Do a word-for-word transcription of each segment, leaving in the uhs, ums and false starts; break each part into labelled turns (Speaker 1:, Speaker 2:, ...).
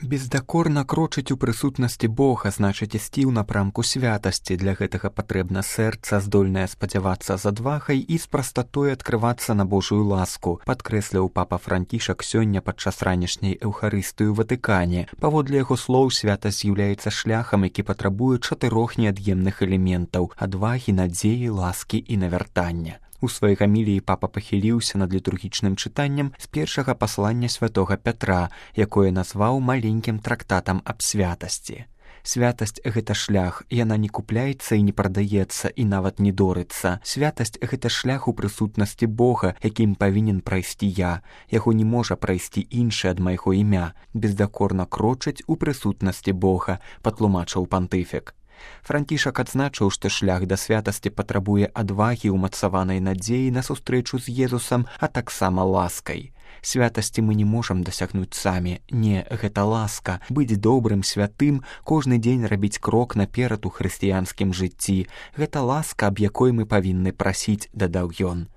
Speaker 1: Бездакорна крочыць у прысутнасці Бога значыць ісці ў напрамку святасці. Для гэтага патрэбна сэрца, здольнае спадзявацца з адвагай і з прастатой адкрывацца на Божую ласку, падкрэсліў папа Францішак сёння падчас ранішняй эўхарыстыі ў Ватыкане. Паводле яго слоў, святасць з'яўляецца шляхам, які патрабуе чатырох неад'емных элементаў: адвагі, надзеі, ласкі і навяртання. У сваёй гаміліі папа пахіліўся над літургічным чытаннем з першага паслання святога Пятра, якое назваў маленькім трактатам аб святасці. Святасць – гэта шлях, яна не купляецца і не прадаецца, і нават не дорыцца. Святасць – гэта шлях у прысутнасці Бога, якім павінен прайсці я. Яго не можа прайсці іншы ад майго імя. Бездакорна крочыць у прысутнасці Бога, патлумачыў пантыфік. Францішак адзначыў, што шлях да святасці патрабуе адвагі, умацаванай надзеі на сустрэчу з Езусам, а таксама ласкай. Святасці мы не можам дасягнуць самі. Не, гэта ласка. Быць добрым, святым, кожны дзень рабіць крок наперад у хрысціянскім жыцці. Гэта ласка, аб якой мы павінны прасіць, дадаў ён.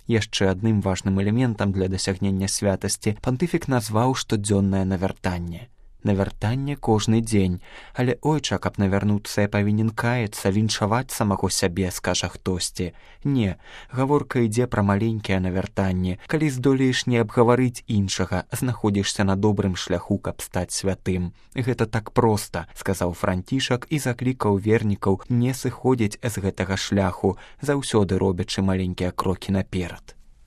Speaker 1: Яшчэ адным важным элементам для дасягнення святасці пантыфік назваў штодзённае навяртанне. Навяртанне кожны дзень. Але, ойча, каб навярнуцца, я павінен каяцца, віншаваць самого сябе, скажа хтосьці. Не, гаворка ідзе пра маленькае навяртанне. Калі здолееш не абгаварыць іншага, знаходзішся на добрым шляху, каб стаць святым. Гэта так проста, сказаў Францішак і заклікаў вернікаў не сыходзіць з гэтага шляху, заўсёды робячы маленькія крокі наперад.